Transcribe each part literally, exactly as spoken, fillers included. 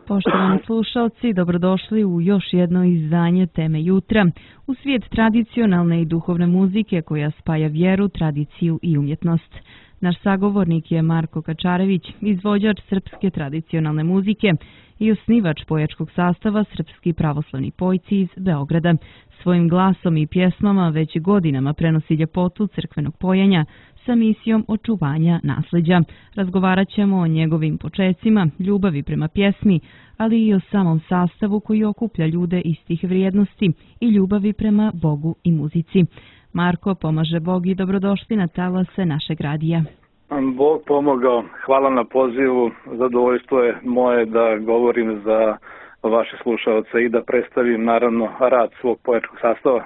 Poštovani slušalci, dobrodošli u još jedno izdanje Teme jutra, u svijet tradicionalne i duhovne muzike koja spaja vjeru, tradiciju i umjetnost. Naš sagovornik je Marko Kačarević, izvođač srpske tradicionalne muzike i osnivač pojačkog sastava Srpski pravoslavni pojci iz Beograda. Svojim glasom i pjesmama već godinama prenosi ljepotu crkvenog pojenja sa misijom očuvanja nasljeđa. Razgovarat ćemo o njegovim počecima, ljubavi prema pjesmi, ali i o samom sastavu koji okuplja ljude istih vrijednosti i ljubavi prema Bogu i muzici. Marko, pomaže Bog i dobrodošli na talase našeg radija. Bog pomogao. Hvala na pozivu. Zadovoljstvo je moje da govorim za vaše slušalce i da predstavim naravno rad svog pojačkog sastava.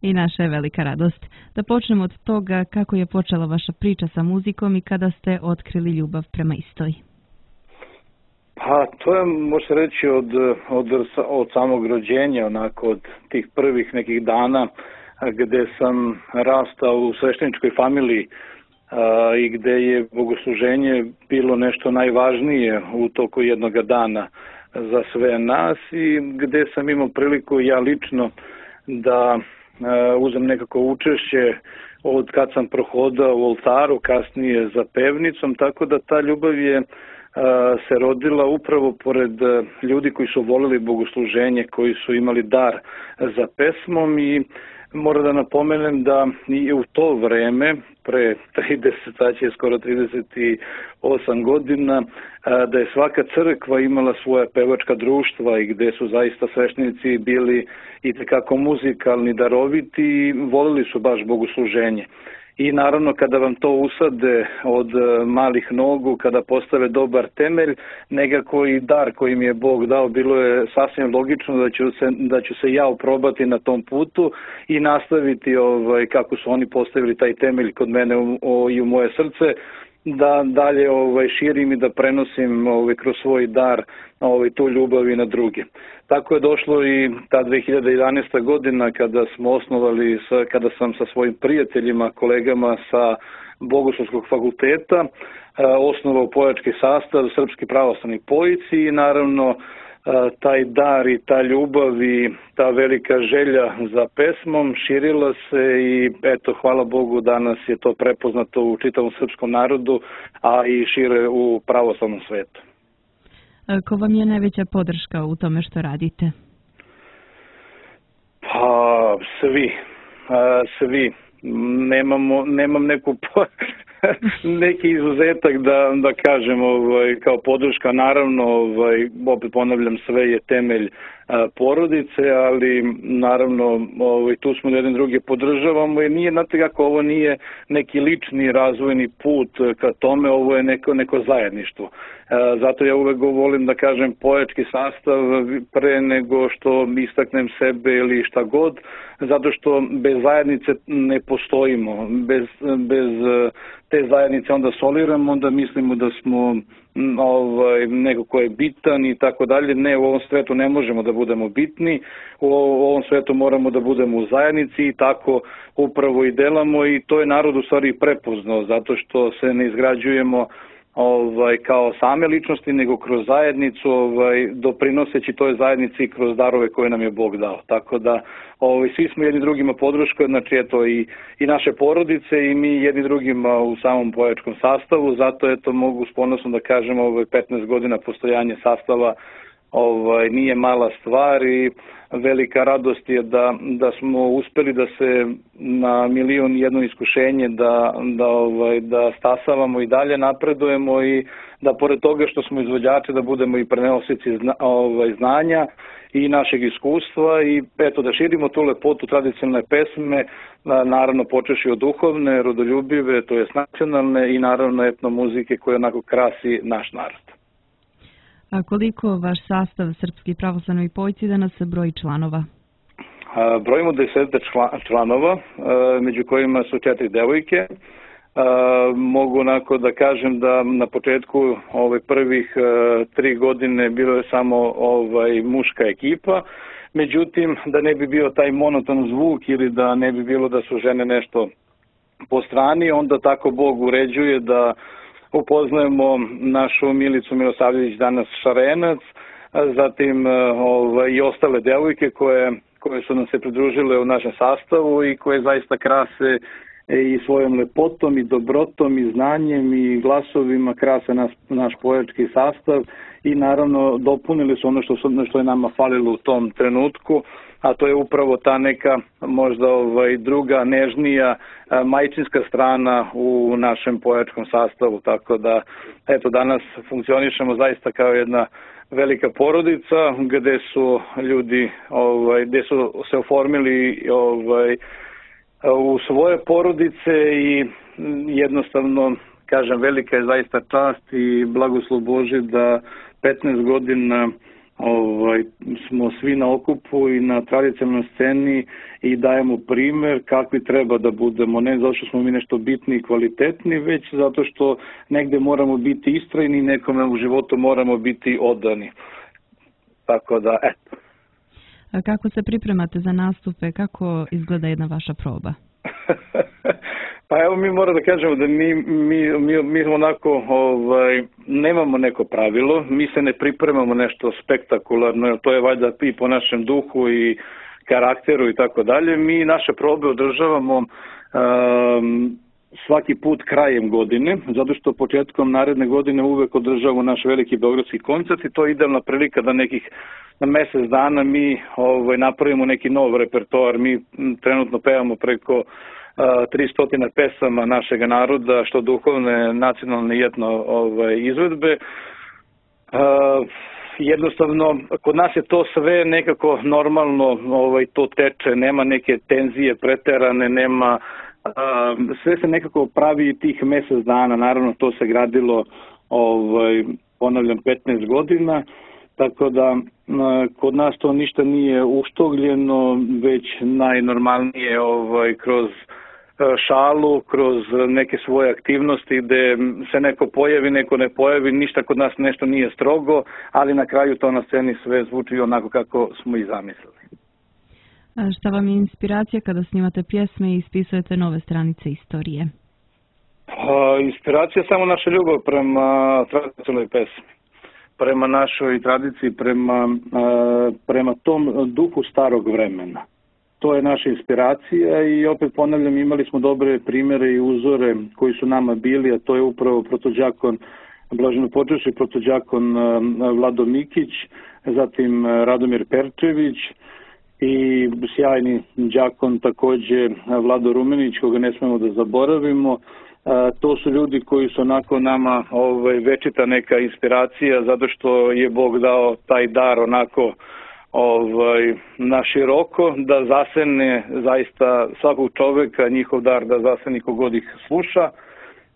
I naša je velika radost. Da počnemo od toga kako je počela vaša priča sa muzikom i kada ste otkrili ljubav prema istoj. Pa to je, može reći, od, od, od samog rođenja, onako od tih prvih nekih dana gde sam rastao u svešteničkoj familiji a, i gde je bogosluženje bilo nešto najvažnije u toku jednog dana za sve nas i gde sam imao priliku ja lično da a, uzem nekako učešće od kad sam prohodao u oltaru, kasnije za pevnicom, tako da ta ljubav je se rodila upravo pored ljudi koji su volili bogosluženje, koji su imali dar za pesmom i moram da napomenem da i u to vreme, pre trideset, sad će skoro trideset osam godina, da je svaka crkva imala svoja pevačka društva i gde su zaista sveštenici bili i tekako muzikalni, daroviti i volili su baš bogosluženje. I naravno kada vam to usade od malih nogu, kada postave dobar temelj, nekako i dar koji mi je Bog dao, bilo je sasvim logično da ću se, da ću se ja oprobati na tom putu i nastaviti ovaj, kako su oni postavili taj temelj kod mene u, o, i u moje srce, da dalje ovaj, širim i da prenosim ovaj, kroz svoj dar ovaj, tu ljubav i na druge. Tako je došlo i ta dve hiljade jedanaesta godina kada smo osnovali, sa, kada sam sa svojim prijateljima, kolegama sa Bogoslovskog fakulteta eh, osnovao pojački sastav Srpski pravoslavni pojci i naravno eh, taj dar i ta ljubav i ta velika želja za pesmom širila se i eto, hvala Bogu, danas je to prepoznato u čitavom srpskom narodu, a i šire u pravoslavnom svetu. Ko vam je najveća podrška u tome što radite? Pa, svi. Svi. Nemamo, nemam neku, neki izuzetak da, da kažem ovaj, kao podrška. Naravno, ovaj, opet ponavljam, sve je temelj a, porodice, ali naravno ovaj, tu smo jedni druge podržavamo i nije, znate kako, ovo nije neki lični razvojni put ka tome, ovo je neko, neko zajedništvo. A, zato ja uvek volim da kažem pojački sastav pre nego što istaknem sebe ili šta god, zato što bez zajednice ne postojimo, bez, bez te zajednice onda soliramo, onda mislimo da smo ovaj, neko ko je bitan i tako dalje. Ne, u ovom svetu ne možemo da budemo bitni, u ovom svetu moramo da budemo u zajednici i tako upravo i delamo i to je narod u stvari prepoznao, zato što se ne izgrađujemo ovaj, kao same ličnosti, nego kroz zajednicu, ovaj, doprinoseći toj zajednici kroz darove koje nam je Bog dao. Tako da ovaj, svi smo jedni drugima podrška, znači eto i, i naše porodice i mi jedni drugima u samom pojačkom sastavu, zato eto mogu s ponosom da kažem ovaj, petnaest godina postojanja sastava ovaj, nije mala stvar i velika radost je da, da smo uspeli da se na milion jedno iskušenje da, da, ovaj, da stasavamo i dalje napredujemo i da pored toga što smo izvođači da budemo i prenosici zna, ovaj, znanja i našeg iskustva i eto da širimo tu lepotu tradicionalne pesme, naravno počeši od duhovne, rodoljubive, to jest nacionalne i naravno etno muzike koje onako krasi naš narod. A koliko vaš sastav Srpski pravoslavni pojci danas broji članova? A, brojimo deset članova, a, među kojima su četiri devojke. A, mogu onako da kažem da na početku ovaj, prvih a, tri godine bilo je samo ovaj, muška ekipa, međutim da ne bi bio taj monoton zvuk ili da ne bi bilo da su žene nešto po strani, onda tako Bog uređuje da upoznajemo našu Milicu Milosavljević, danas Šarenac, zatim ovaj, i ostale devojke koje, koje su nam se pridružile u našem sastavu i koje zaista krase i svojom lepotom i dobrotom i znanjem i glasovima krase nas, naš pojački sastav i naravno dopunili su ono što, su, što je nama falilo u tom trenutku, a to je upravo ta neka možda ovaj, druga, nežnija, majčinska strana u našem pojačkom sastavu, tako da eto danas funkcionišemo zaista kao jedna velika porodica gde su ljudi ovaj, gde su se oformili ovaj, u svoje porodice i jednostavno, kažem, velika je zaista čast i blagoslov Božji da petnaest godina ovaj, smo svi na okupu i na tradicionalnoj sceni i dajemo primer kakvi treba da budemo, ne zato što smo mi nešto bitni i kvalitetni, već zato što negde moramo biti istrajni i nekome u životu moramo biti odani. Tako da, eto. A kako se pripremate za nastupe? Kako izgleda jedna vaša proba? Pa evo mi moramo da kažemo da mi, mi, mi, mi onako ovaj, nemamo neko pravilo, mi se ne pripremamo nešto spektakularno, to je valjda i po našem duhu i karakteru i tako dalje. Mi naše probe održavamo um, svaki put krajem godine, zato što početkom naredne godine uvek održavamo naš veliki beogradski koncert i to je idealna prilika da nekih na mesec dana mi ovaj, napravimo neki nov repertoar. Mi trenutno pevamo preko tristo pesama našeg naroda, što duhovne, nacionalne i etno ovaj, izvedbe. Uh, jednostavno, kod nas je to sve nekako normalno, ovaj, to teče, nema neke tenzije preterane, nema, uh, sve se nekako pravi tih mesec dana, naravno to se gradilo, ovaj, ponavljam, petnaest godina, tako da uh, kod nas to ništa nije uštogljeno, već najnormalnije ovaj, kroz šalu, kroz neke svoje aktivnosti gde se neko pojavi, neko ne pojavi, ništa kod nas nešto nije strogo, ali na kraju to na sceni sve zvuči onako kako smo i zamislili. A šta vam je inspiracija kada snimate pjesme i ispisujete nove stranice istorije? A, inspiracija je samo naša ljubav prema tradicionalnoj pesmi, prema našoj tradiciji, prema, a, prema tom duhu starog vremena. To je naša inspiracija i opet ponavljam, imali smo dobre primere i uzore koji su nama bili, a to je upravo protođakon Blaženo počešće, protođakon Vlado Mikić, zatim Radomir Perčević i sjajni đakon takođe Vlado Rumenić, koga ne smemo da zaboravimo. To su ljudi koji su onako nama ovaj, večita neka inspiracija, zato što je Bog dao taj dar onako ovaj, na široko, da zasene zaista svakog čoveka, njihov dar da zaseni kogod ih sluša.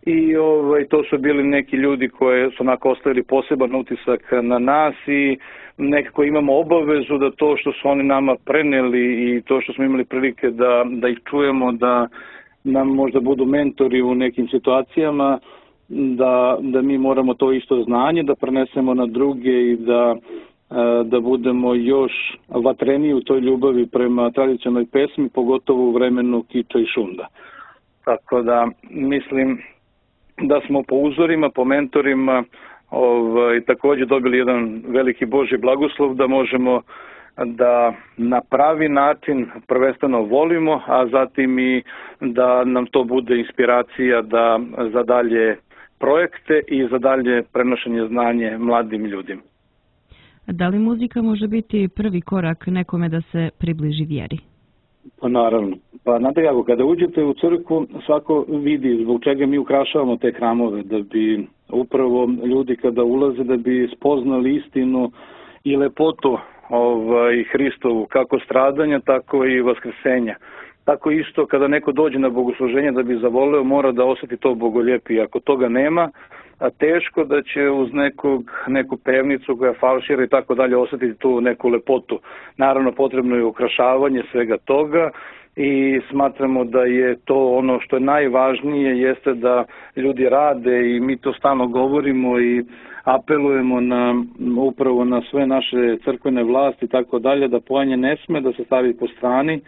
I ovaj, to su bili neki ljudi koji su onako ostavili poseban utisak na nas i nekako imamo obavezu da to što su oni nama preneli i to što smo imali prilike da, da ih čujemo, da nam možda budu mentori u nekim situacijama, da, da mi moramo to isto znanje da prenesemo na druge i da da budemo još vatreniji u toj ljubavi prema tradicionalnoj pesmi, pogotovo u vremenu kiča i šunda. Tako da mislim da smo po uzorima, po mentorima ovaj, takođe dobili jedan veliki Božji blagoslov da možemo da na pravi način prvenstveno volimo, a zatim i da nam to bude inspiracija da za dalje projekte i za dalje prenošenje znanje mladim ljudima. Da li muzika može biti prvi korak nekome da se približi vjeri? Pa naravno. Pa znate kako, kada uđete u crkvu, svako vidi zbog čega mi ukrašavamo te hramove, da bi upravo ljudi kada ulaze, da bi spoznali istinu i lepotu ovaj, Hristovu, kako stradanja, tako i vaskrsenja. Tako isto kada neko dođe na bogosluženje da bi zavoleo, mora da osjeti to bogoljepije. Ako toga nema, a teško da će uz nekog, neku pevnicu koja falšira i tako dalje osjetiti tu neku lepotu. Naravno potrebno je ukrašavanje svega toga i smatramo da je to ono što je najvažnije, jeste da ljudi rade i mi to stalno govorimo i apelujemo na, upravo na sve naše crkvene vlasti i tako dalje, da pojanje ne sme da se stavi po strani,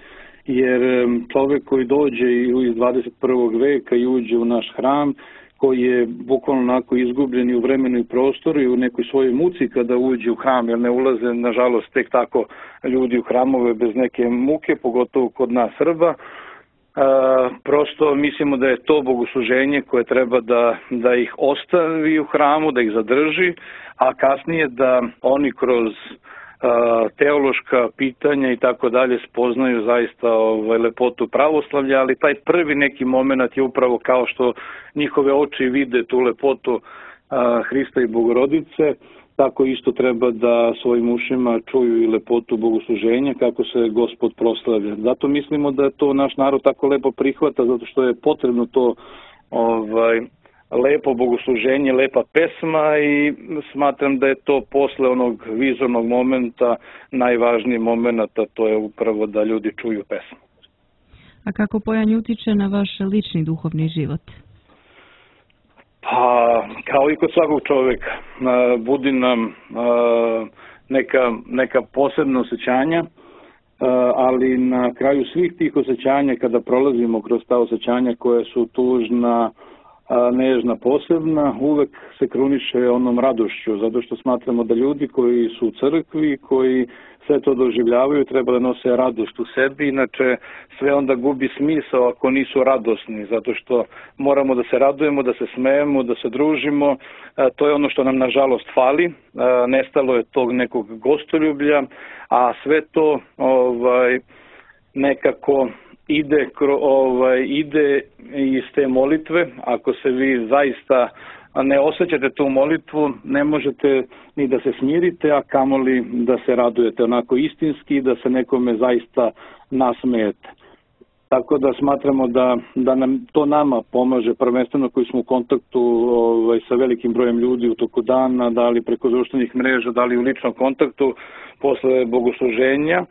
jer čovjek koji dođe iz dvadeset prvog veka i uđe u naš hram, koji je bukvalno onako izgubljen i u vremenu i prostoru i u nekoj svojoj muci kada uđe u hram, jer ne ulaze, nažalost, tek tako ljudi u hramove bez neke muke, pogotovo kod nas Srba. E, prosto mislimo da je to bogosluženje koje treba da, da ih ostavi u hramu, da ih zadrži, a kasnije da oni kroz teološka pitanja i tako dalje spoznaju zaista ovaj, lepotu pravoslavlja, ali taj prvi neki moment je upravo kao što njihove oči vide tu lepotu a, Hrista i Bogorodice, tako isto treba da svojim ušima čuju i lepotu bogosluženja kako se Gospod proslavlja. Zato mislimo da to naš narod tako lepo prihvata, zato što je potrebno to ovaj, lepo bogosluženje, lepa pesma i smatram da je to posle onog vizornog momenta najvažniji moment, a to je upravo da ljudi čuju pesmu. A kako pojanj utiče na vaš lični duhovni život? Pa, kao i kod svakog čoveka, budi nam neka, neka posebna osjećanja, ali na kraju svih tih osjećanja, kada prolazimo kroz ta osjećanja koja su tužna, nežna, posebna, uvek se kruniše onom radošću, zato što smatramo da ljudi koji su u crkvi, koji sve to doživljavaju, treba da nose radost u sebi, inače sve onda gubi smisao ako nisu radosni, zato što moramo da se radujemo, da se smejemo, da se družimo, to je ono što nam nažalost fali, nestalo je tog nekog gostoljublja, a sve to ovaj, nekako ide, ovaj, ide iz te molitve. Ako se vi zaista ne osjećate tu molitvu, ne možete ni da se smirite, a kamoli da se radujete onako istinski, da se nekome zaista nasmejete. Tako da smatramo da, da nam to nama pomaže, prvenstveno koji smo u kontaktu ovaj, sa velikim brojem ljudi u toku dana, da li preko društvenih mreža, da li u ličnom kontaktu posle bogosluženja.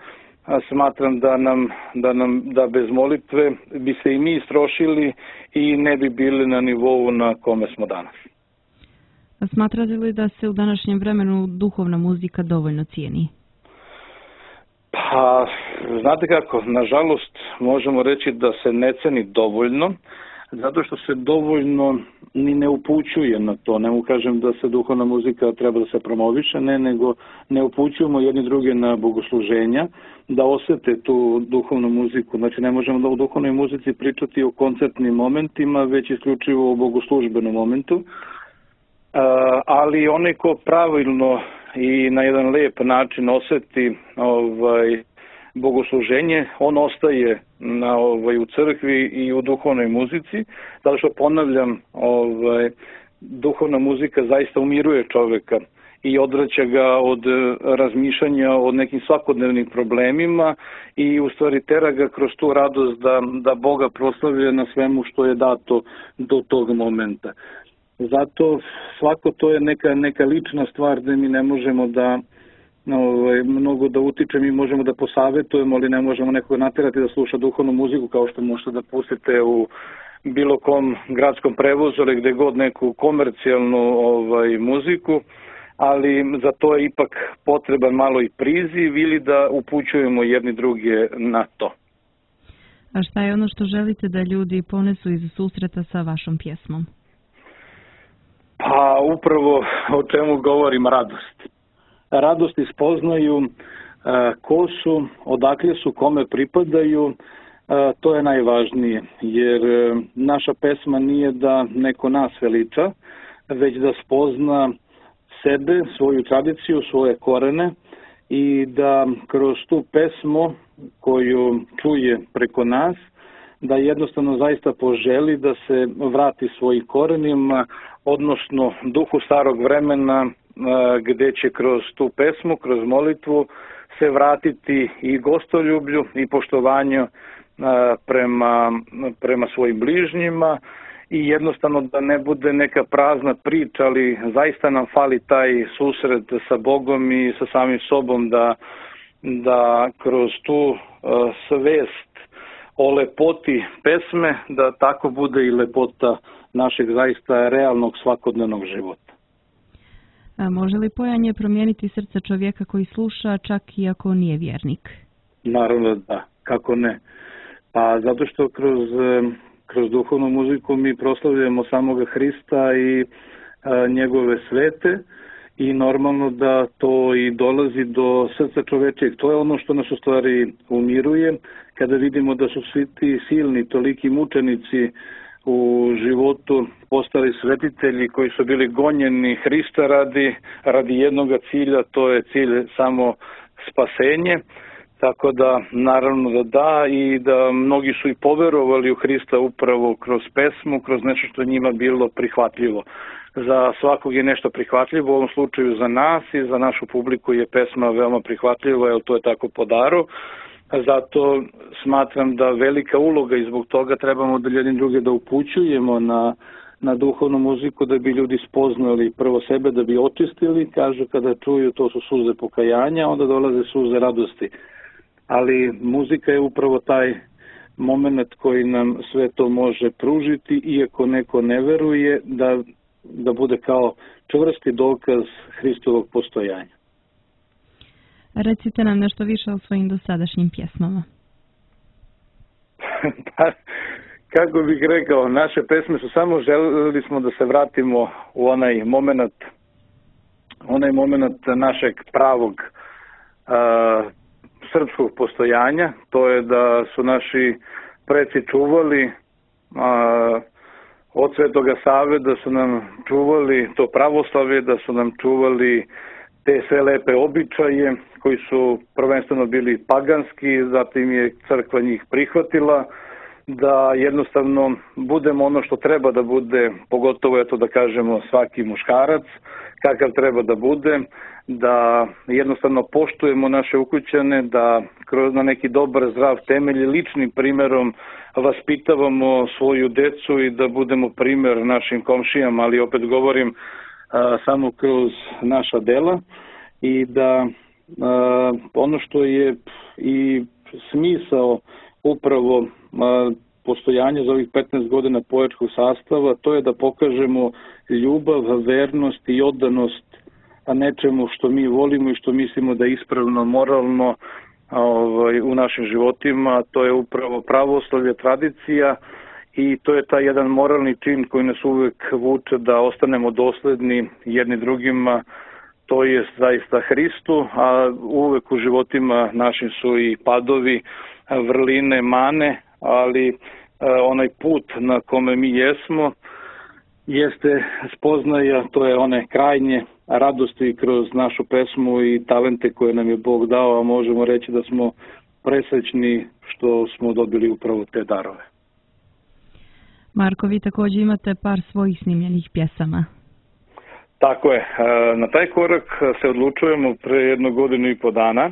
Smatram da nam, da nam da bez molitve bi se i mi istrošili i ne bi bili na nivou na kome smo danas. A smatrate li da se u današnjem vremenu duhovna muzika dovoljno cijeni? Pa, znate kako, nažalost možemo reći da se ne ceni dovoljno, zato što se dovoljno ni ne upućuje na to. Ne mu kažem da se duhovna muzika treba da se promoviše, ne, nego ne upućujemo jedni druge na bogosluženja, da osete tu duhovnu muziku. Znači ne možemo da u duhovnoj muzici pričati o koncertnim momentima, već isključivo o bogoslužbenom momentu. Ali onaj ko pravilno i na jedan lep način oseti ovaj, bogosluženje, on ostaje na, ovaj, u crkvi i u duhovnoj muzici, zato što ponavljam, ovaj, duhovna muzika zaista umiruje čoveka i odvraća ga od razmišljanja o nekim svakodnevnim problemima i u stvari tera ga kroz tu radost da, da Boga proslavlja na svemu što je dato do tog momenta. Zato svako to je neka, neka lična stvar gde mi ne možemo da ovaj, mnogo da utiče, mi možemo da posavetujemo, ali ne možemo nekoga naterati da sluša duhovnu muziku kao što možete da pustite u bilo kom gradskom prevozu ili gde god neku komercijalnu ovaj, muziku, ali za to je ipak potreban malo i priziv ili da upućujemo jedni druge na to. A šta je ono što želite da ljudi ponesu iz susreta sa vašom pjesmom? Pa upravo o čemu govorim, radost. Radost ispoznaju ko su, odakle su, kome pripadaju, to je najvažnije, jer naša pesma nije da neko nas veliča, već da spozna sebe, svoju tradiciju, svoje korene i da kroz tu pesmu koju čuje preko nas, da jednostavno zaista poželi da se vrati svojim korenima, odnosno duhu starog vremena, gde će kroz tu pesmu, kroz molitvu se vratiti i gostoljublju i poštovanju prema, prema svojim bližnjima i jednostavno da ne bude neka prazna priča, ali zaista nam fali taj susret sa Bogom i sa samim sobom, da, da kroz tu svest o lepoti pesme, da tako bude i lepota našeg zaista realnog svakodnevnog života. A može li pojanje promijeniti srce čovjeka koji sluša, čak i ako nije vjernik? Naravno da, kako ne. Pa zato što kroz, kroz duhovnu muziku mi proslavljamo samoga Hrista i a, njegove svete i normalno da to i dolazi do srca čovečijeg. To je ono što nas u stvari umiruje, kada vidimo da su svi ti silni, toliki mučenici u životu postali svetitelji koji su bili gonjeni Hrista radi, radi jednog cilja, to je cilj samo spasenje. Tako da, naravno da da, i da mnogi su i poverovali u Hrista upravo kroz pesmu, kroz nešto što njima bilo prihvatljivo. Za svakog je nešto prihvatljivo, u ovom slučaju za nas i za našu publiku je pesma veoma prihvatljiva, jer to je tako po daru. Zato smatram da velika uloga i zbog toga trebamo da jedni druge da upućujemo na, na duhovnu muziku, da bi ljudi spoznali prvo sebe, da bi očistili, kažu kada čuju to su suze pokajanja, onda dolaze suze radosti. Ali muzika je upravo taj moment koji nam sve to može pružiti, iako neko ne veruje, da, da bude kao čvrsti dokaz Hristovog postojanja. Recite nam nešto više o svojim dosadašnjim pjesmama. Pa, kako bih rekao, naše pesme su samo želeli smo da se vratimo u onaj moment, onaj moment našeg pravog a, srpskog postojanja, to je da su naši preci čuvali a, od Svetoga Save, da su nam čuvali to pravoslavlje, da su nam čuvali te sve lepe običaje koji su prvenstveno bili paganski, zatim je crkva njih prihvatila, da jednostavno budemo ono što treba da bude, pogotovo eto da kažemo svaki muškarac, kakav treba da bude, da jednostavno poštujemo naše ukućane, da kroz na neki dobar, zdrav temelj ličnim primerom vaspitavamo svoju decu i da budemo primer našim komšijama, ali opet govorim a, samo kroz naša dela i da a, ono što je i smisao upravo a, postojanje za ovih petnaest godina poetskog sastava, to je da pokažemo ljubav, vernost i oddanost nečemu što mi volimo i što mislimo da je ispravno, moralno ovaj, u našim životima. To je upravo pravoslavlje, tradicija i to je taj jedan moralni čin koji nas uvek vuče da ostanemo dosledni jedni drugima, to je zaista Hristu, a uvek u životima našim su i padovi, vrline, mane, ali onaj put na kome mi jesmo jeste spoznaja, to je one krajnje radosti kroz našu pesmu i talente koje nam je Bog dao, a možemo reći da smo presrećni što smo dobili upravo te darove. Marko, vi također imate par svojih snimljenih pjesama. Tako je. Na taj korak se odlučujemo pre jednu godinu i po dana,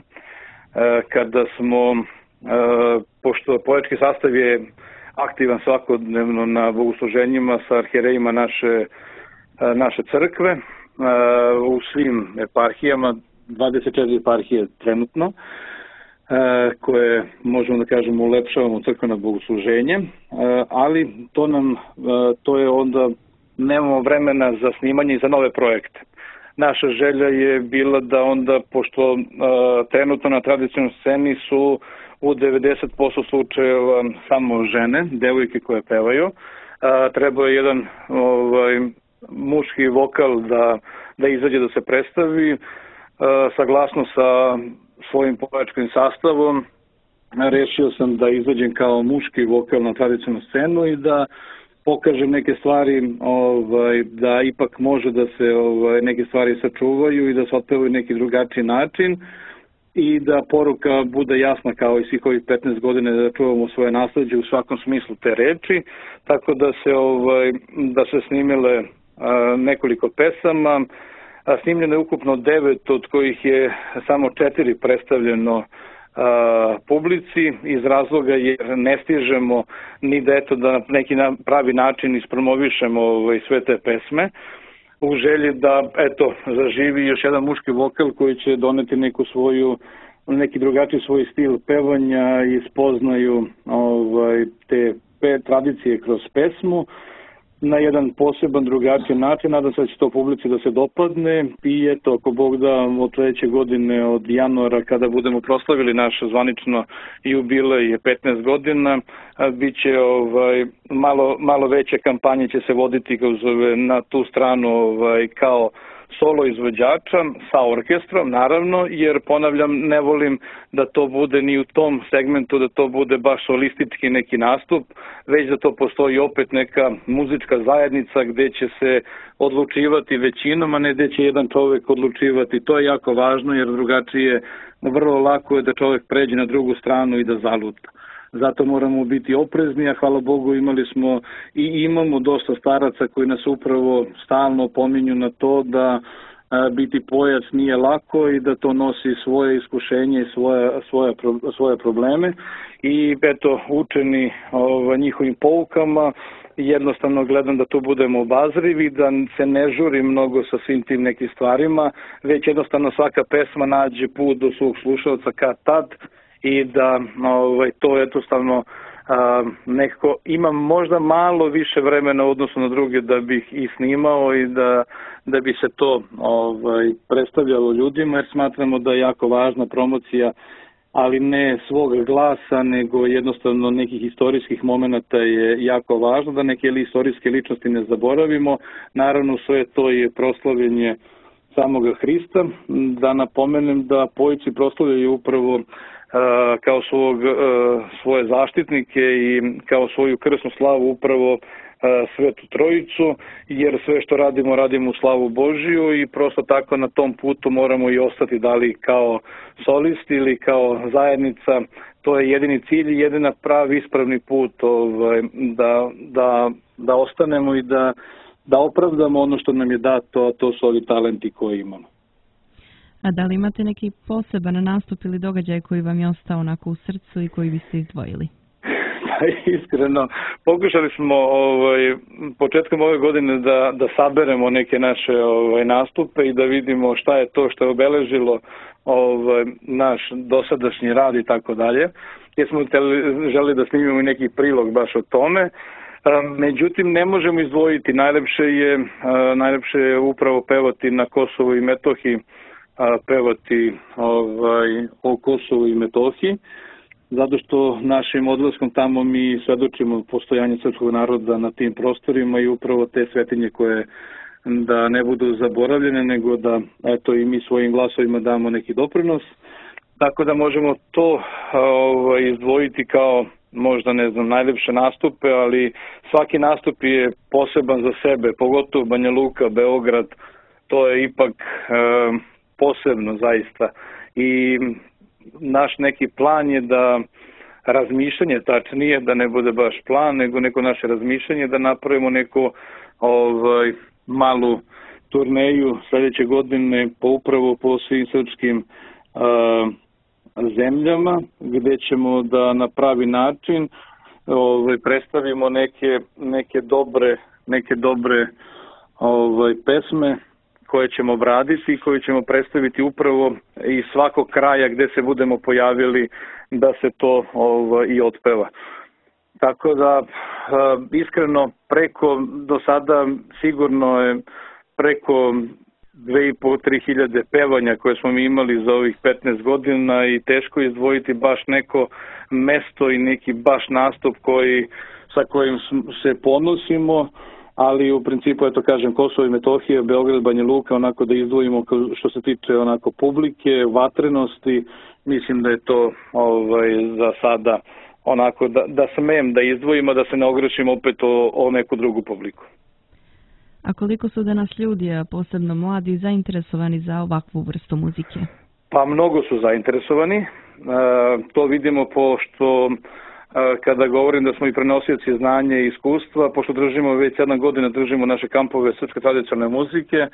kada smo, pošto poetski sastav je aktivan svakodnevno na bogosluženjima sa arhijerejima naše, naše crkve, u svim eparhijama, dvadeset četiri eparhije trenutno, koje možemo da kažemo ulepšavamo crkveno bogosluženje, ali to nam, to je onda, nemamo vremena za snimanje i za nove projekte. Naša želja je bila da onda, pošto trenutno na tradicionalnoj sceni su u devedeset posto slučajeva samo žene, devojke koje pevaju, treba je jedan ovaj, muški vokal da, da izađe da se predstavi, saglasno sa svojim povačkim sastavom, rešio sam da izađem kao muški vokal na tradicionalnu scenu i da pokažem neke stvari, ovaj, da ipak može da se ovaj, neke stvari sačuvaju i da se otpevaju neki drugačiji način i da poruka bude jasna kao i svih ovih petnaest godina, da čuvamo svoje nasleđe u svakom smislu te reči, tako da se, ovaj, da se snimile a, nekoliko pesama, a, snimljeno je ukupno devet, od kojih je samo četiri predstavljeno a, publici, iz razloga jer ne stižemo ni da eto da na neki pravi način ispromovišemo ovaj, sve te pesme, u želji da eto zaživi još jedan muški vokal koji će doneti neku svoju, neki drugačiji svoj stil pevanja i spoznaju ovaj, te pe, tradicije kroz pesmu na jedan poseban, drugačiji način. Nadam se da će to publici da se dopadne i eto, ako Bog da, od sledeće godine, od januara, kada budemo proslavili naš zvanično jubilej petnaest godina, bit će ovaj, malo, malo veće kampanje će se voditi kroz, na tu stranu ovaj, kao solo izvođača sa orkestrom, naravno, jer ponavljam, ne volim da to bude ni u tom segmentu, da to bude baš solistički neki nastup, već da to postoji opet neka muzička zajednica gde će se odlučivati većinom, a ne gde će jedan čovek odlučivati. To je jako važno, jer drugačije vrlo lako je da čovek pređe na drugu stranu i da zaluta. Zato moramo biti oprezni, a hvala Bogu imali smo i imamo dosta staraca koji nas upravo stalno pominju na to da a, biti pojac nije lako i da to nosi svoje iskušenje i svoje, svoje, svoje probleme. I eto, učeni ova, njihovim poukama, jednostavno gledam da tu budemo obazrivi, da se ne žuri mnogo sa svim tim nekim stvarima, već jednostavno svaka pesma nađe put do svog slušalca kad tad, i da ovaj, to jednostavno a, nekako imam možda malo više vremena u odnosu na druge da bih i snimao i da, da bi se to ovaj, predstavljalo ljudima, jer smatramo da je jako važna promocija, ali ne svog glasa, nego jednostavno nekih istorijskih momenata je jako važno, da neke istorijske ličnosti ne zaboravimo. Naravno sve to je proslavljenje samoga Hrista. Da napomenem da pojici proslavljaju upravo kao svog, svoje zaštitnike i kao svoju krsnu slavu upravo Svetu Trojicu, jer sve što radimo, radimo u slavu Božiju i prosto tako na tom putu moramo i ostati, da li kao solisti ili kao zajednica. To je jedini cilj i jedina pravi ispravni put ovaj, da, da, da ostanemo i da, da opravdamo ono što nam je dato, a to su ovi talenti koji imamo. A da li imate neki poseban nastup ili događaj koji vam je ostao onako u srcu i koji biste izdvojili? Iskreno, pokušali smo ovaj, početkom ove godine da, da saberemo neke naše ovaj, nastupe i da vidimo šta je to što je obeležilo ovaj, naš dosadašnji rad i tako dalje. Jer smo želi da snimimo i neki prilog baš o tome. Međutim, ne možemo izdvojiti. Najlepše je, najlepše je upravo pevati na Kosovu i Metohiji, pevati ovaj, o Kosovu i Metohiji, zato što našim odlaskom tamo mi svedočimo postojanje srpskog naroda na tim prostorima i upravo te svetinje koje da ne budu zaboravljene, nego da eto i mi svojim glasovima damo neki doprinos. Tako da možemo to ovaj, izdvojiti kao možda ne znam najlepše nastupe, ali svaki nastup je poseban za sebe, pogotovo Banja Luka, Beograd, to je ipak e, posebno zaista. I naš neki plan je da razmišljanje, tačnije, da ne bude baš plan, nego neko naše razmišljanje, da napravimo neku ovaj, malu turneju sledeće godine po upravo po svim srpskim a, zemljama, gde ćemo da na pravi način ovaj, predstavimo neke, neke dobre, neke dobre ovaj, pesme koje ćemo obraditi i koje ćemo predstaviti upravo iz svakog kraja gde se budemo pojavili da se to ovaj, i otpeva. Tako da, iskreno, preko, do sada sigurno je preko dve i po, tri hiljade pevanja koje smo mi imali za ovih petnaest godina i teško izdvojiti baš neko mesto i neki baš nastup koji, sa kojim se ponosimo, ali u principu, eto kažem, Kosovo i Metohija, Beograd, Banja Luka, onako da izdvojimo što se tiče onako publike, vatrenosti, mislim da je to ovaj, za sada onako da, da smem da izdvojimo, da se ne ogrešimo opet o, o neku drugu publiku. A koliko su danas ljudi, a posebno mladi, zainteresovani za ovakvu vrstu muzike? Pa mnogo su zainteresovani. E, to vidimo pošto kada govorim da smo i prenosioci znanja i iskustva, pošto držimo već sedam godina držimo naše kampove srpske tradicionalne muzike, e,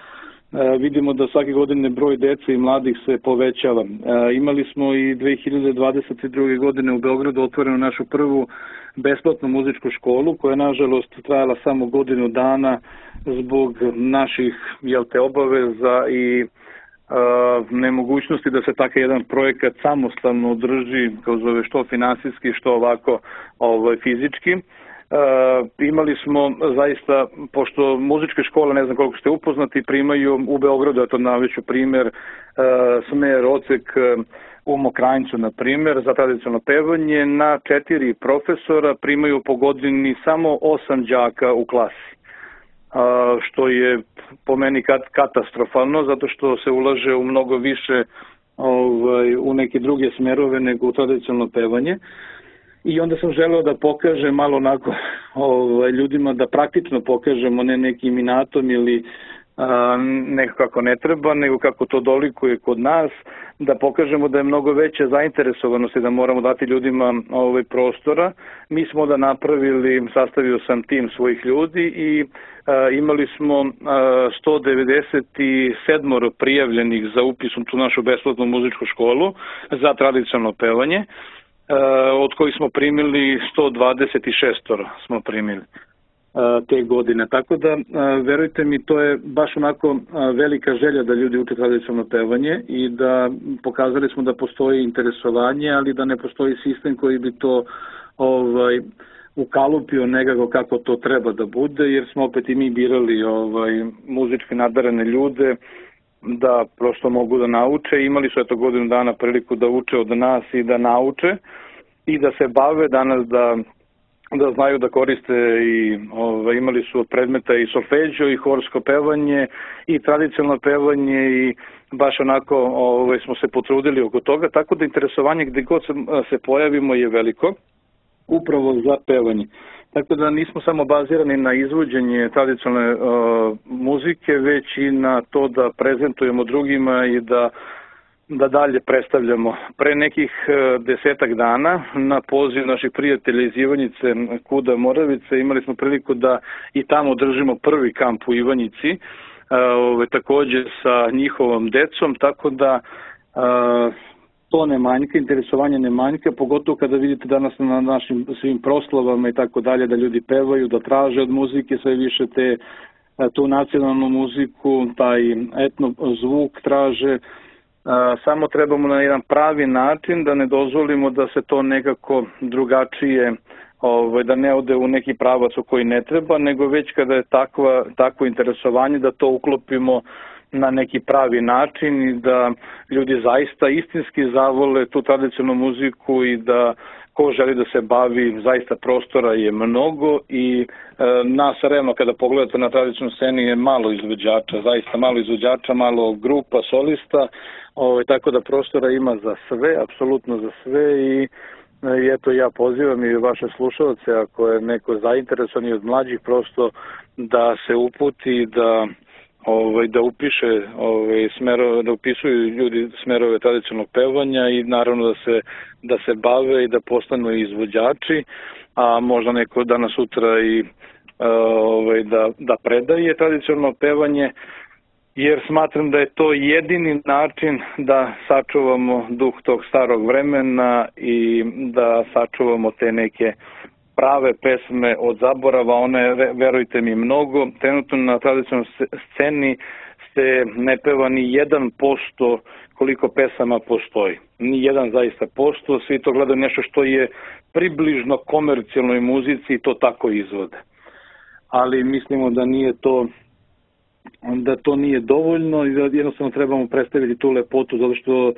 vidimo da svake godine broj dece i mladih se povećava. E, imali smo i dve hiljade dvadeset druge. godine u Beogradu otvorenu našu prvu besplatnu muzičku školu, koja je nažalost trajala samo godinu dana zbog naših jel te, obaveza i Uh, nemogućnosti da se takav jedan projekat samostalno održi, kao zove što finansijski, što ovako ovaj, fizički. imali smo zaista, pošto muzičke škole, ne znam koliko ste upoznati, primaju u Beogradu, eto navešću primjer, smer, odsek u Mokranjcu, na primjer, za tradicionalno pevanje, na četiri profesora primaju po godini samo osam đaka u klasi, što je po meni katastrofalno, zato što se ulaže u mnogo više ovaj, u neke druge smerove nego u tradicionalno pevanje. I onda sam želeo da pokažem malo onako ovaj, ljudima, da praktično pokažemo, ne nekim inatom ili a, nekako kako ne treba, nego kako to dolikuje kod nas, da pokažemo da je mnogo veća zainteresovanost i da moramo dati ljudima ovaj, prostora. Mi smo da napravili, sastavio sam tim svojih ljudi i a, imali smo a, sto devedeset sedam prijavljenih za upis u tu našu besplatnu muzičku školu za tradicionalno pevanje, od kojih smo primili sto dvadeset šest smo primili te godine. Tako da, verujte mi, to je baš onako velika želja da ljudi uče tradicionalno pevanje i da pokazali smo da postoji interesovanje, ali da ne postoji sistem koji bi to ovaj, ukalupio nekako kako to treba da bude, jer smo opet i mi birali ovaj, muzički nadarene ljude da prosto mogu da nauče. Imali su eto godinu dana priliku da uče od nas i da nauče i da se bave danas, da, da znaju da koriste i ove, imali su od predmeta i solfeđo i horsko pevanje i tradicionalno pevanje i baš onako ove, smo se potrudili oko toga, tako da interesovanje gde god se, se pojavimo je veliko upravo za pevanje. Tako da nismo samo bazirani na izvođenje tradicionalne uh, muzike, već i na to da prezentujemo drugima i da, da dalje predstavljamo. Pre nekih uh, desetak dana na poziv naših prijatelja iz Ivanjice, Kuda Moravice, imali smo priliku da i tamo držimo prvi kamp u Ivanjici, uh, ove, takođe sa njihovom decom, tako da uh, to ne manjka, interesovanje ne manjka, pogotovo kada vidite danas na našim svim proslavama i tako dalje, da ljudi pevaju, da traže od muzike sve više te, tu nacionalnu muziku, taj etno zvuk traže. Samo trebamo na jedan pravi način da ne dozvolimo da se to nekako drugačije, da ne ode u neki pravac u koji ne treba, nego već kada je takva, takvo interesovanje da to uklopimo na neki pravi način i da ljudi zaista istinski zavole tu tradicionalnu muziku i da ko želi da se bavi, zaista prostora je mnogo i e, nas realno kada pogledate na tradicionalnu sceni je malo izvođača, zaista malo izvođača, malo grupa, solista, o, tako da prostora ima za sve, apsolutno za sve i I eto ja pozivam i vaše slušalce, ako je neko zainteresovan i od mlađih, prosto da se uputi, da Ovaj, da upiše ovaj, smerove, da upisuju ljudi smerove tradicionalnog pevanja i naravno da se, da se bave i da postanu izvođači, a možda neko danas sutra i ovaj, da, da predaje tradicionalno pevanje, jer smatram da je to jedini način da sačuvamo duh tog starog vremena i da sačuvamo te neke prave pesme od zaborava, one, verujte mi, mnogo. Trenutno na tradicionalnoj sceni se ne peva ni jedan posto koliko pesama postoji. Ni jedan zaista posto, svi to gledaju nešto što je približno komercijalnoj muzici i to tako izvode. Ali mislimo da nije to, da to nije dovoljno i da jednostavno trebamo predstaviti tu lepotu, zato što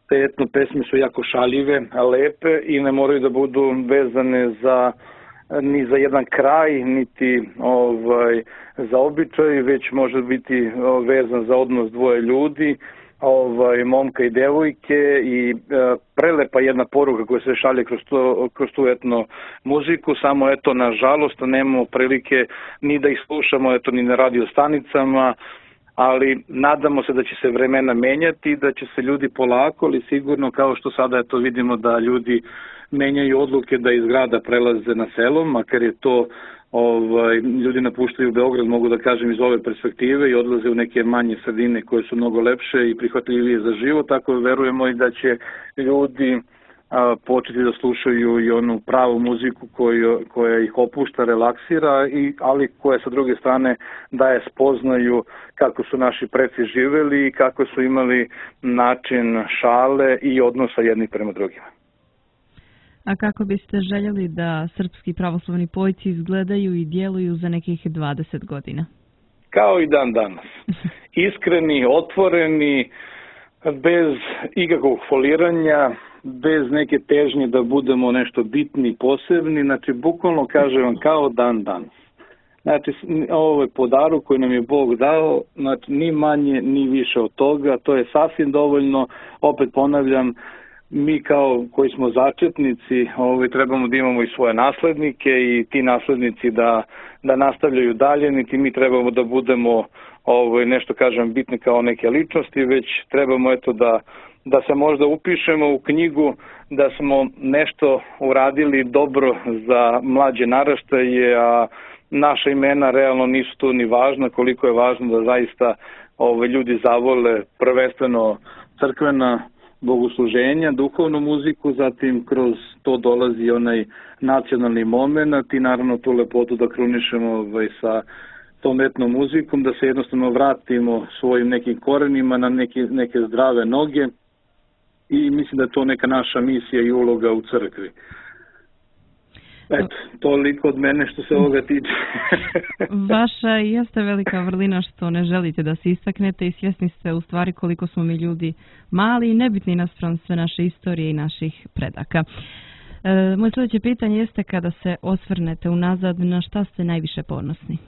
te etno pesme su jako šaljive, lepe i ne moraju da budu vezane za ni za jedan kraj, niti ovaj, za običaj, već može biti vezan za odnos dvoje ljudi, ovaj, momka i devojke i e, prelepa jedna poruka koja se šalje kroz, to, kroz tu etno muziku, samo eto nažalost nemamo prilike ni da ih slušamo eto ni na radio stanicama, ali nadamo se da će se vremena menjati i da će se ljudi polako, ali sigurno, kao što sada eto vidimo da ljudi menjaju odluke da iz grada prelaze na selo, makar je to ovaj, ljudi napuštaju Beograd, mogu da kažem, iz ove perspektive i odlaze u neke manje sredine koje su mnogo lepše i prihvatljivije za život, tako verujemo i da će ljudi a, početi da slušaju i onu pravu muziku koju, koja ih opušta, relaksira, i, ali koja sa druge strane daje spoznaju kako su naši preci živeli i kako su imali način šale i odnosa jednih prema drugima. A kako biste željeli da srpski pravoslavni pojci izgledaju i djeluju za nekih dvadeset godina? Kao i dan danas. Iskreni, otvoreni, bez ikakvog foliranja, bez neke težnje da budemo nešto bitni, posebni, znači bukvalno kažem vam kao dan danas. Znači ovo je podaru koji nam je Bog dao, znači ni manje ni više od toga, to je sasvim dovoljno, opet ponavljam, mi kao koji smo začetnici ovaj, trebamo da imamo i svoje naslednike i ti naslednici da, da nastavljaju dalje, niti mi trebamo da budemo ovaj, nešto kažem bitni kao neke ličnosti, već trebamo eto da, da se možda upišemo u knjigu da smo nešto uradili dobro za mlađe naraštaje, a naša imena realno nisu tu ni važna, koliko je važno da zaista ovaj, ljudi zavole prvenstveno crkvena bogosluženja, duhovnu muziku, zatim kroz to dolazi onaj nacionalni moment i naravno tu lepotu da krunišemo ovaj, sa tom etnom muzikom, da se jednostavno vratimo svojim nekim korenima na neke, neke zdrave noge i mislim da je to neka naša misija i uloga u crkvi. Eto, toliko od mene što se ovoga tiče. Vaša jeste velika vrlina što ne želite da se istaknete i svjesni ste u stvari koliko smo mi ljudi mali i nebitni naspram sve naše istorije i naših predaka. E, moje sljedeće pitanje jeste kada se osvrnete unazad, na šta ste najviše ponosni?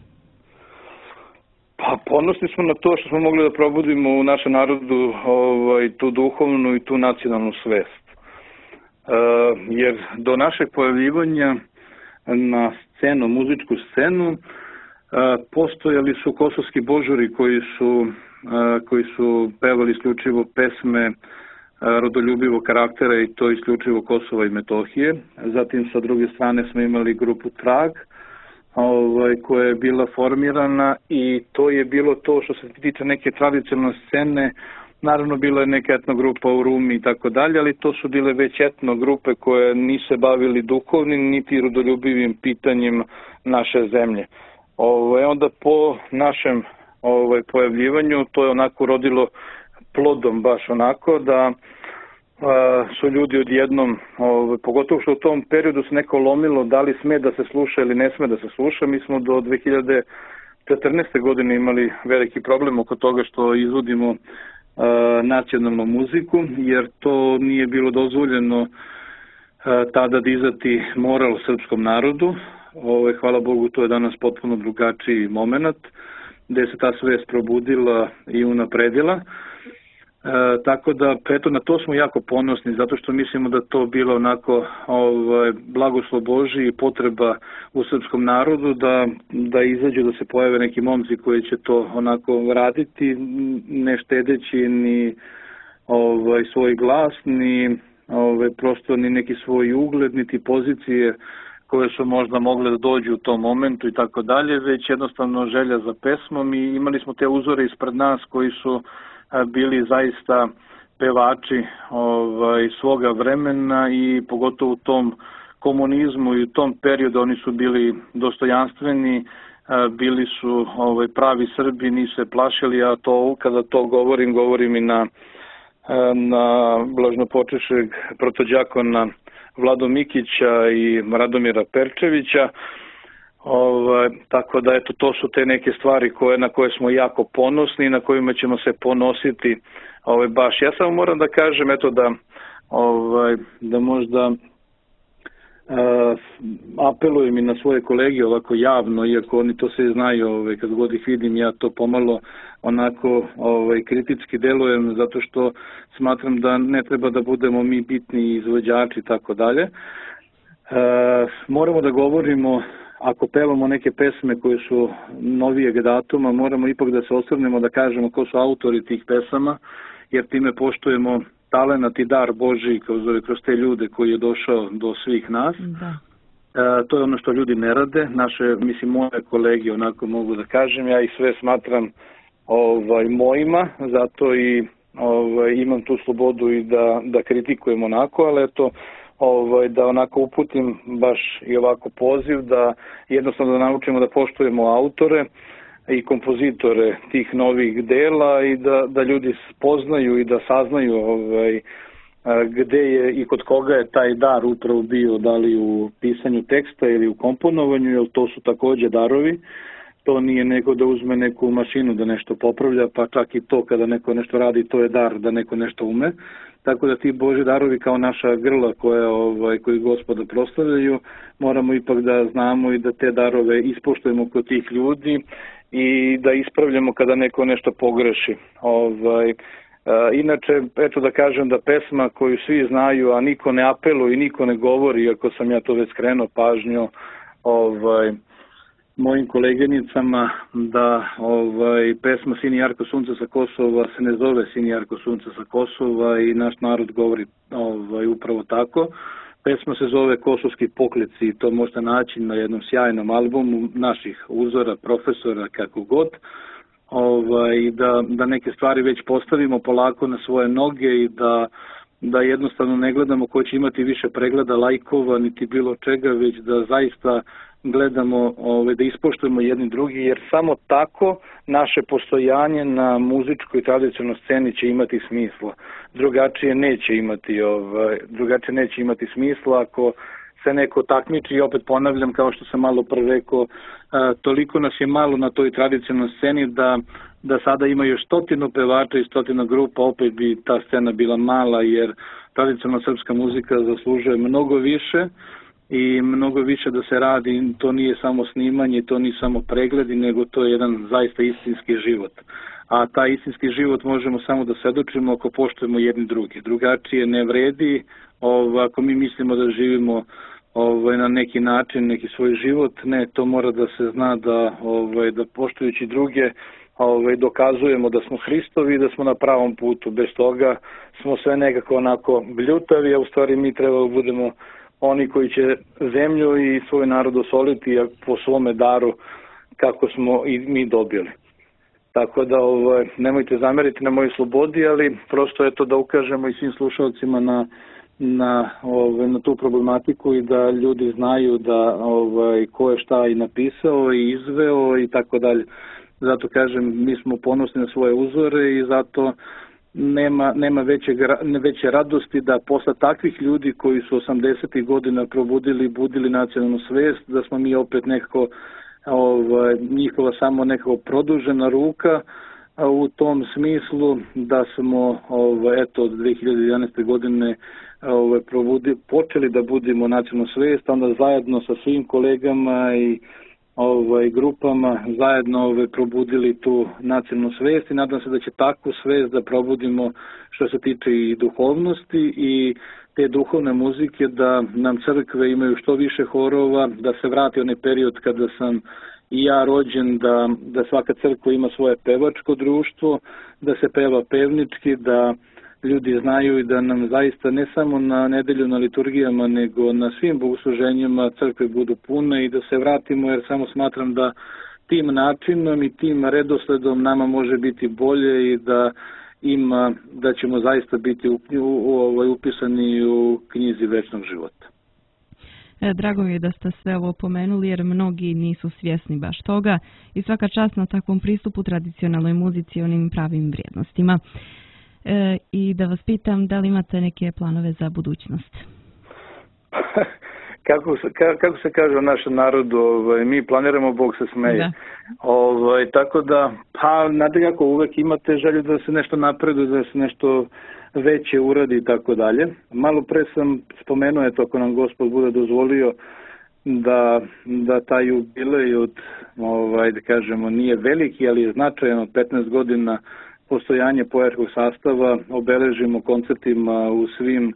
Pa ponosni smo na to što smo mogli da probudimo u našem narodu ovaj, tu duhovnu i tu nacionalnu svest. Uh, jer do našeg pojavljivanja na scenu, muzičku scenu, uh, postojali su kosovski božuri koji su, uh, koji su pevali isključivo pesme uh, rodoljubivog karaktera i to isključivo Kosova i Metohije. Zatim sa druge strane smo imali grupu Trag, ovaj, koja je bila formirana i to je bilo to što se tiče neke tradicionalne scene. Naravno, bila je neka etno grupa u Rumi i tako dalje, ali to su bile već etno grupe koje nisu bavili duhovnim niti rodoljubivim pitanjem naše zemlje. Ovo, onda po našem ovaj, pojavljivanju to je onako rodilo plodom baš onako da a, su ljudi odjednom, ovaj, pogotovo što u tom periodu se neko lomilo da li sme da se sluša ili ne sme da se sluša. Mi smo do dve hiljade četrnaeste. godine imali veliki problem oko toga što izvodimo nacionalnu muziku, jer to nije bilo dozvoljeno tada dizati moral srpskom narodu. Ove, hvala Bogu, to je danas potpuno drugačiji moment, gde se ta svest probudila i unapredila. E, tako da, eto, na to smo jako ponosni, zato što mislimo da to bilo onako ovaj, blagoslov Božji i potreba u srpskom narodu da, da izađu, da se pojave neki momci koji će to onako raditi, ne štedeći ni ovaj, svoj glas, ni ovaj, prosto ni neki svoj ugled, niti pozicije koje su možda mogle da dođu u tom momentu i tako dalje, već jednostavno želja za pesmom i imali smo te uzore ispred nas koji su bili zaista pevači ovaj, svoga vremena i pogotovo u tom komunizmu i u tom periodu oni su bili dostojanstveni, bili su ovaj, pravi Srbi, nisu se plašili, a to kada to govorim, govorim i na, na blažnopočešeg protođakona Vlado Mikića i Radomira Perčevića. Ovaj, tako da eto, to su te neke stvari koje, na koje smo jako ponosni i na kojima ćemo se ponositi ovaj, baš. Ja samo moram da kažem eto, da, ovaj, da možda uh, apelujem i na svoje kolege ovako javno, iako oni to sve znaju, ovaj, kad god ih vidim ja to pomalo onako ovaj, kritički delujem, zato što smatram da ne treba da budemo mi bitni izvođači i tako dalje. Uh, moramo da govorimo, ako pevamo neke pesme koje su novijeg datuma, moramo ipak da se osvrnemo da kažemo ko su autori tih pesama, jer time poštujemo talenat i dar Božji kroz, kroz te ljude koji je došao do svih nas. Da. E, to je ono što ljudi ne rade. Naše, mislim, moje kolege, onako mogu da kažem, ja ih sve smatram ovaj, mojima, zato i ovaj, imam tu slobodu i da, da kritikujem onako, ali eto, Ovaj, da onako uputim baš i ovako poziv da jednostavno da naučimo da poštujemo autore i kompozitore tih novih dela i da, da ljudi spoznaju i da saznaju ovaj, gde je i kod koga je taj dar upravo bio, da li u pisanju teksta ili u komponovanju, jer to su takođe darovi. To nije neko da uzme neku mašinu da nešto popravlja, pa čak i to kada neko nešto radi, to je dar da neko nešto ume. Tako da ti Božji darovi kao naša grla koje, ovaj, koji Gospoda proslavljaju, moramo ipak da znamo i da te darove ispoštujemo kod tih ljudi i da ispravljamo kada neko nešto pogreši. Ovaj, a, inače, eto da kažem da pesma koju svi znaju, a niko ne apeluje i niko ne govori, iako sam ja to već skrenuo pažnju ovaj, mojim koleginicama, da ovaj, pesma Sini jarko sunce sa Kosova se ne zove Sini jarko sunce sa Kosova i naš narod govori ovaj, upravo tako. Pesma se zove Kosovski pokleci i to možete naći na jednom sjajnom albumu naših uzora, profesora, kako god. Ovaj, da, da neke stvari već postavimo polako na svoje noge i da, da jednostavno ne gledamo ko će imati više pregleda, lajkova, niti bilo čega, već da zaista gledamo, ove, da ispoštujemo jedni drugi, jer samo tako naše postojanje na muzičkoj tradicionalnoj sceni će imati smisla. Drugačije neće imati, ove, drugačije neće imati smisla ako se neko takmiči, i opet ponavljam, kao što sam malo pre rekao, a, toliko nas je malo na toj tradicionalnoj sceni da, da sada ima još stotinu pevača i stotinu grupa, opet bi ta scena bila mala, jer tradicionalna srpska muzika zaslužuje mnogo više i mnogo više da se radi. To nije samo snimanje, to nije samo pregledi, nego to je jedan zaista istinski život. A taj istinski život možemo samo da svedočimo ako poštujemo jedni drugi. Drugačije ne vredi, ovaj, ako mi mislimo da živimo ovaj, na neki način, neki svoj život. Ne, to mora da se zna da, ovaj, da poštujući druge ovaj, dokazujemo da smo Hristovi i da smo na pravom putu. Bez toga smo sve nekako onako bljutavi, a u stvari mi treba da budemo oni koji će zemlju i svoj narod osoliti po svome daru kako smo i mi dobili. Tako da ovaj, nemojte zameriti na mojoj slobodi, ali prosto je to da ukažemo i svim slušalcima na, na, ovaj, na tu problematiku i da ljudi znaju da ovaj, ko je šta i napisao i izveo i tako dalje. Zato kažem, mi smo ponosni na svoje uzore i zato nema, nema veće, veće radosti da posle takvih ljudi koji su osamdesetih godina probudili, budili nacionalnu svest, da smo mi opet nekako ovaj, njihova samo nekako produžena ruka u tom smislu da smo ovaj, eto, od dve hiljade jedanaeste. godine ovaj, probudi, počeli da budimo nacionalnu svest, onda zajedno sa svim kolegama i ovaj, grupama zajedno ovaj, probudili tu nacionalnu svest i nadam se da će takvu svest da probudimo što se tiče i duhovnosti i te duhovne muzike, da nam crkve imaju što više horova, da se vrati onaj period kada sam i ja rođen, da, da svaka crkva ima svoje pevačko društvo, da se peva pevnički, da ljudi znaju i da nam zaista ne samo na nedelju na liturgijama, nego na svim bogosluženjima crkve budu pune i da se vratimo, jer samo smatram da tim načinom i tim redosledom nama može biti bolje i da ima, da ćemo zaista biti u, u, u, upisani u knjizi večnog života. E, drago mi je da ste sve ovo pomenuli, jer mnogi nisu svjesni baš toga i svaka čast na takvom pristupu tradicionalnoj muzici i onim pravim vrijednostima. E, I da vas pitam, da li imate neke planove za budućnost? Kako se, kako se kaže u našem narodu, ovaj, mi planiramo, Bog se smeje. Da. Ovaj, tako da, pa nadalje ako uvek imate želju da se nešto napreduje, da se nešto veće uradi i tako dalje. Malo pre sam spomenuo, eto, ako nam Gospod bude dozvolio da, da taj jubilej od, ovaj, da kažemo, nije veliki, ali je značajan, od petnaest godina postojanje pojačkog sastava obeležimo koncertima u svim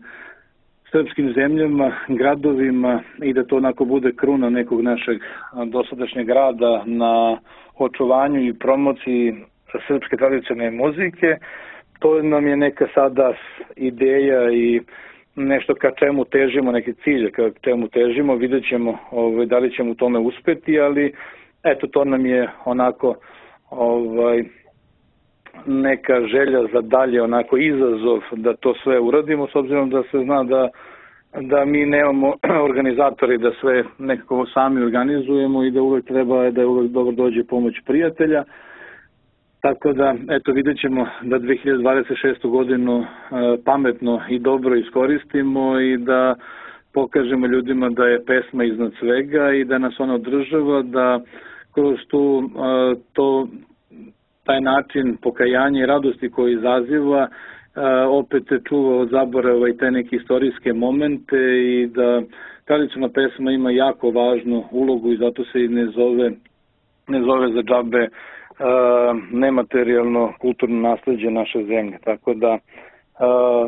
srpskim zemljama, gradovima i da to onako bude kruna nekog našeg dosadašnjeg rada na očuvanju i promociji srpske tradicionalne muzike. To nam je neka sada ideja i nešto ka čemu težimo, neki cilj ka čemu težimo, vidjet ćemo ovaj, da li ćemo u tome uspeti, ali eto, to nam je onako ovaj, neka želja za dalje, onako izazov da to sve uradimo, s obzirom da se zna da, da mi nemamo organizatori, da sve nekako sami organizujemo i da uvek treba, da uvek dobro dođe pomoć prijatelja. Tako da, eto, vidjet ćemo da dve hiljade dvadeset šestu godinu pametno i dobro iskoristimo i da pokažemo ljudima da je pesma iznad svega i da nas ona održava, da kroz tu, to, taj način pokajanja i radosti koji izaziva opet čuva od zaborava i te neke istorijske momente i da tradicionalna pesma ima jako važnu ulogu i zato se i ne zove, ne zove za džabe nematerijalno kulturno nasleđe naše zemlje. Tako da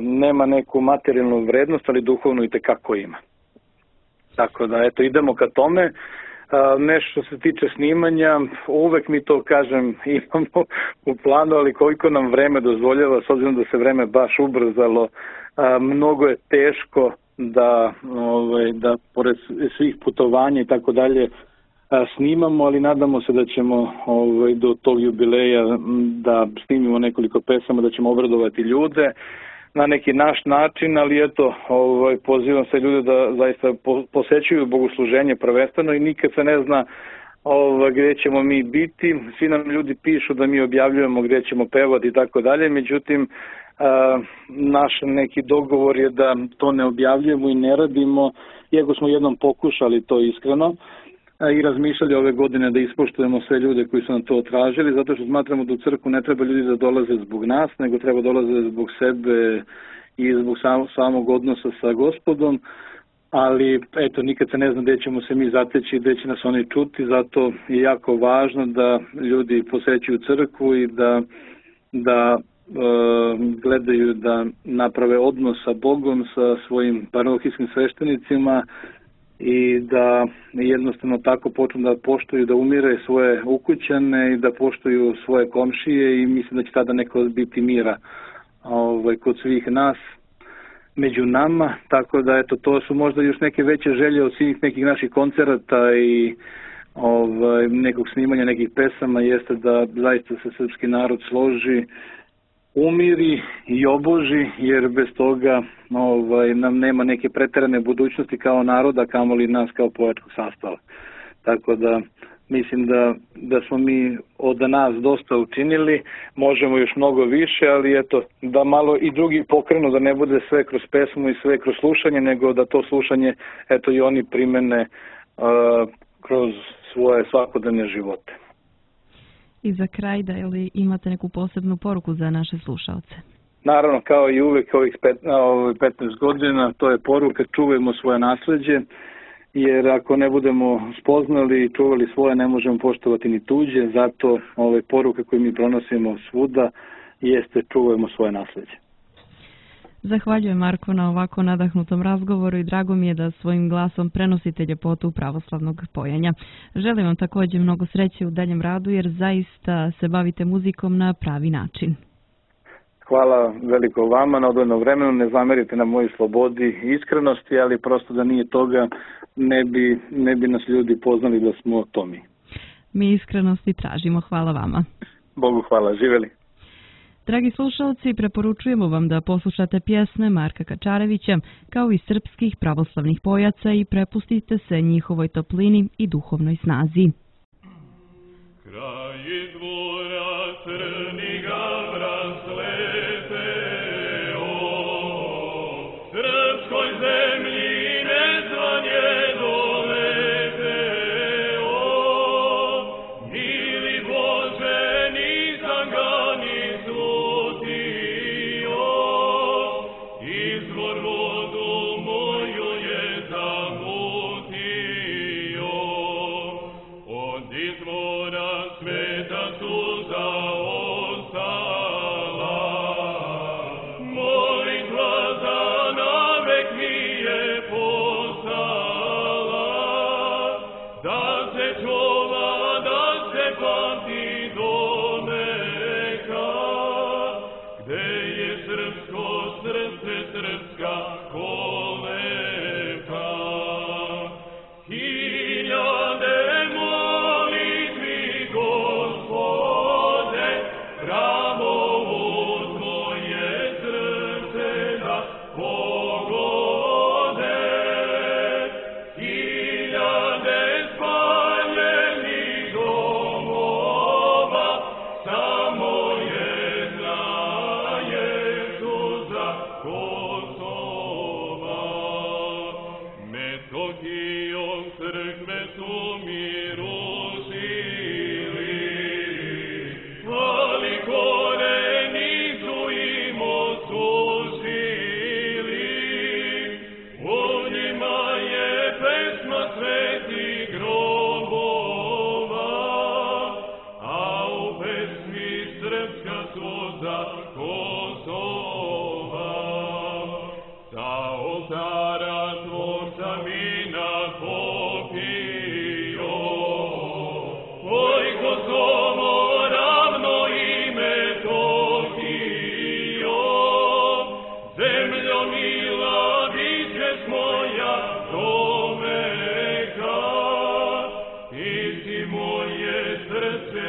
nema neku materijalnu vrednost, ali duhovno i tekako ima. Tako da, eto, idemo ka tome. Nešto što se tiče snimanja, uvek mi to, kažem, imamo u planu, ali koliko nam vreme dozvoljava, s obzirom da se vreme baš ubrzalo, mnogo je teško da, ovaj, da pored svih putovanja i tako dalje snimamo, ali nadamo se da ćemo ovaj, do tog jubileja da snimimo nekoliko pesama, da ćemo obradovati ljude na neki naš način, ali eto, ovaj, pozivam se ljude da zaista posećuju bogosluženje prvenstveno i nikad se ne zna ovaj, gdje ćemo mi biti. Svi nam ljudi pišu da mi objavljujemo gdje ćemo pevati i tako dalje, međutim, a, naš neki dogovor je da to ne objavljujemo i ne radimo, iako smo jednom pokušali to iskreno i razmišljali ove godine da ispoštujemo sve ljude koji su nam to tražili, zato što smatramo da u crkvu ne treba ljudi da dolaze zbog nas, nego treba dolaze zbog sebe i zbog sam, samog odnosa sa Gospodom, ali eto, nikad se ne zna gdje ćemo se mi zateći, gdje će nas oni čuti, zato je jako važno da ljudi posećuju crkvu i da, da e, gledaju da naprave odnos sa Bogom, sa svojim parohijskim sveštenicima, i da jednostavno tako počnu da poštuju, da umire svoje ukućane i da poštuju svoje komšije i mislim da će tada neko biti mira ovaj, kod svih nas među nama, tako da eto, to su možda još neke veće želje od svih nekih naših koncerata i ovaj, nekog snimanja nekih pesama, jeste da zaista se srpski narod složi, umiri i oboži, jer bez toga ovaj, nam nema neke preterane budućnosti kao naroda, kamoli nas kao pojačkog sastava. Tako da mislim da, da smo mi od nas dosta učinili, možemo još mnogo više, ali eto, da malo i drugi pokrenu, da ne bude sve kroz pesmu i sve kroz slušanje, nego da to slušanje eto i oni primene uh, kroz svoje svakodnevne živote. I za kraj, da li imate neku posebnu poruku za naše slušalce? Naravno, kao i uvek ovih petnaest godina, to je poruka, čuvajmo svoje nasleđe, jer ako ne budemo spoznali i čuvali svoje, ne možemo poštovati ni tuđe, zato ove poruke koje mi pronosimo svuda jeste čuvajmo svoje nasleđe. Zahvaljujem, Marko, na ovako nadahnutom razgovoru i drago mi je da svojim glasom prenosite ljepotu pravoslavnog pojanja. Želim vam također mnogo sreće u daljem radu jer zaista se bavite muzikom na pravi način. Hvala veliko vama na odvojeno vremenu, ne zamerite na mojoj slobodi i iskrenosti, ali prosto da nije toga ne bi, ne bi nas ljudi poznali da smo to mi. Mi iskrenosti tražimo, hvala vama. Bogu hvala, živeli. Dragi slušalci, preporučujemo vam da poslušate pjesme Marka Kačarevića kao i srpskih pravoslavnih pojaca i prepustite se njihovoj toplini i duhovnoj snazi. Kraj dvora crni gavra sleteo, srpskoj zemlji nezvanje doleteo, mili Bože, nisam ga ni slutio, izvor vodu moju je zamutio, od izvora sveta suza ostala, molitva za navek mi je postala, da se čuva, da se pamti do neka, gde je srpsko srce, srpska kolevka. Hiljade molitvi, Gospode, za Kosova. Sa oltara Tvorca vina popio, oj Kosovo ravno ime Tokio, zemljo mila bićeš moja do veka, ti si moje srce